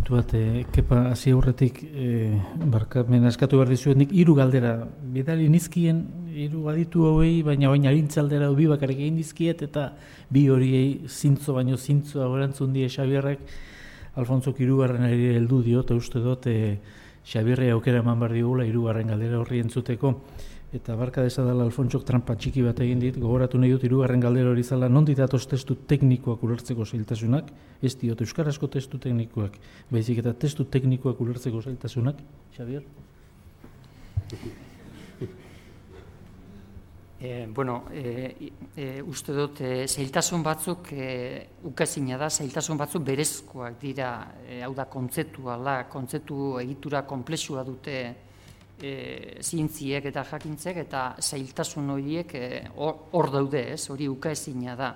puntu bat, Kepa, hasi aurretik, barkamen askatu behar dizuet, nik 3 galdera, bidali nizkien 3 aditu hauei, baina baina arintzaldera bi bakarrik egin dizkiet, eta bi horiei zintzo baino zintzoa erantzun die Xabierrek, Alfonso hirugarrenari heldu dio, eta uste dut, Xabierre aukera eman behar digula 3. galdera horri entzuteko, eta barka desadala Alfonsok trampa txiki bat egin dit, gogoratu nahi dut 3. galdera hori zala, non ditatoz testu teknikoak ulertzeko zailtasunak, ez diot euskarazko testu teknikoak, baizik eta testu teknikoak ulertzeko zailtasunak, Xabier? Uste dut, zailtasun batzuk, ukazina da, zailtasun batzuk berezkoak dira, hau da, kontzeptu egitura konplexua dute zientziek eta jakintzek, eta zailtasun horiek hor daude, hori ukaezina da.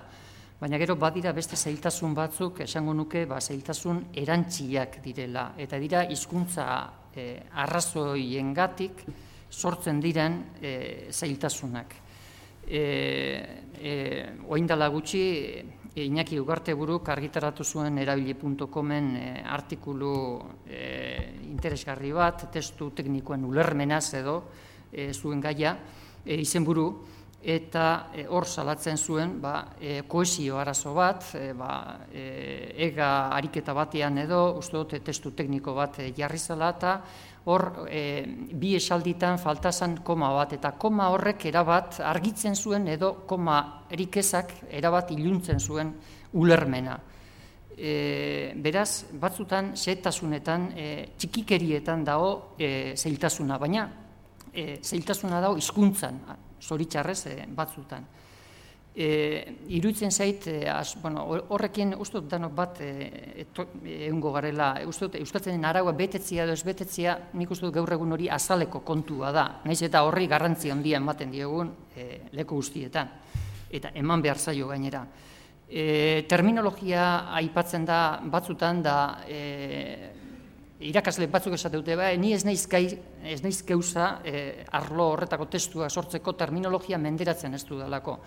Baina gero badira beste zailtasun batzuk, esango nuke, zailtasun erantziak direla, eta dira hizkuntza arrazoiengatik sortzen diren zailtasunak. Oraindela gutxi, Iñaki Ugarteburuk argitaratu zuen erabili.comen artikulu interesgarri bat, testu teknikoen ulermenaz edo zuen gaia, izenburu, eta hor salatzen zuen kohesio arazo bat, ega ariketa batean edo, uste dut testu tekniko bat jarri zela, eta hor bi esalditan faltazan koma bat, eta koma horrek erabat argitzen zuen edo koma erikezak erabat iluntzen zuen ulermena. Beraz, batzutan, xehetasunetan, txikikerietan dago zailtasuna, baina zailtasuna dago hizkuntzan, zoritxarrez batzutan. Iruditzen zait, horrekin uste dut danok bat egungo garela, uste dut euskaltzenen araua betetzia edo ez betetzia, nik uste dut gaur egun hori azaleko kontua da, naiz eta horri garrantzi handia ematen diogun leku guztietan, eta eman behar zaio gainera. Terminologia aipatzen da batzutan da, irakasle batzuk esate dute, ni ez naiz geuza arlo horretako testua sortzeko terminologia menderatzen ez dudalako.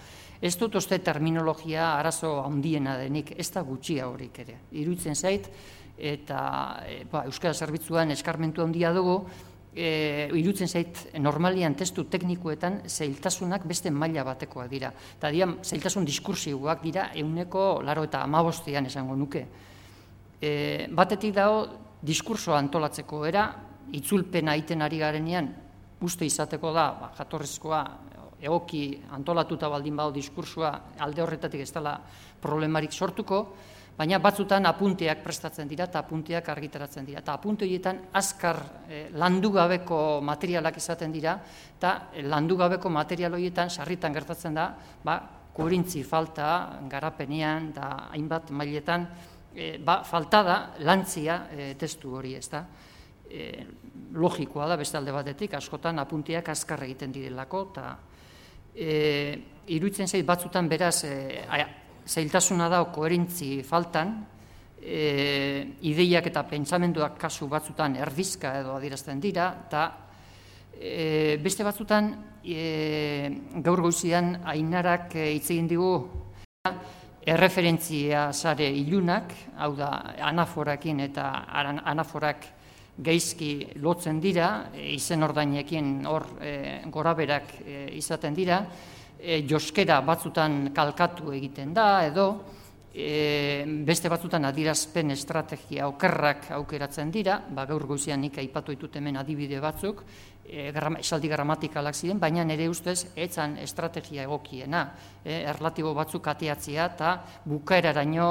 Ez dut uste terminologia arazo handiena denik, ez da gutxia horik ere. Iruditzen zait, eta Euskara Zerbitzuan eskarmentu handia dugu, iruditzen zait normalian testu teknikoetan zailtasunak beste maila batekoak dira. Eta zailtasun diskursiboak dira 95% esango nuke. Batetik dago, diskursoa antolatzeko era, itzulpena egiten ari garenean, uste izateko da, jatorrizkoa, egoki antolatuta baldin badu diskursoa, alde horretatik ez dela problemarik sortuko, baina batzutan apunteak prestatzen dira eta apunteak argitaratzen dira. Eta apunte horietan azkar landu gabeko materialak izaten dira, eta landu gabeko material horietan sarritan gertatzen da, koherentzi falta, garapenean, eta hainbat mailetan, falta da lantzia testu hori, ez da. Logikoa da beste alde batetik, askotan apunteak azkar egiten direlako, eta iruditzen zait batzutan beraz zailtasuna da koherentzi faltan, ideiak eta pentsamenduak kasu batzutan erdizka edo adierazten dira, eta beste batzutan gaur goizian Ainarak hitz egin digu erreferentzia sare ilunak, hau da anaforakin eta anaforak gaizki lotzen dira, izen ordainekin hor goraberak izaten dira, joskera batzutan kalkatu egiten da, edo beste batzutan adierazpen estrategia okerrak aukeratzen dira, gaur goizean nik aipatu ditut hemen adibide batzuk, esaldi gramatikalak ziren, baina nire ustez etzan estrategia egokiena, erlatibo batzuk ateatzea eta bukaeraraino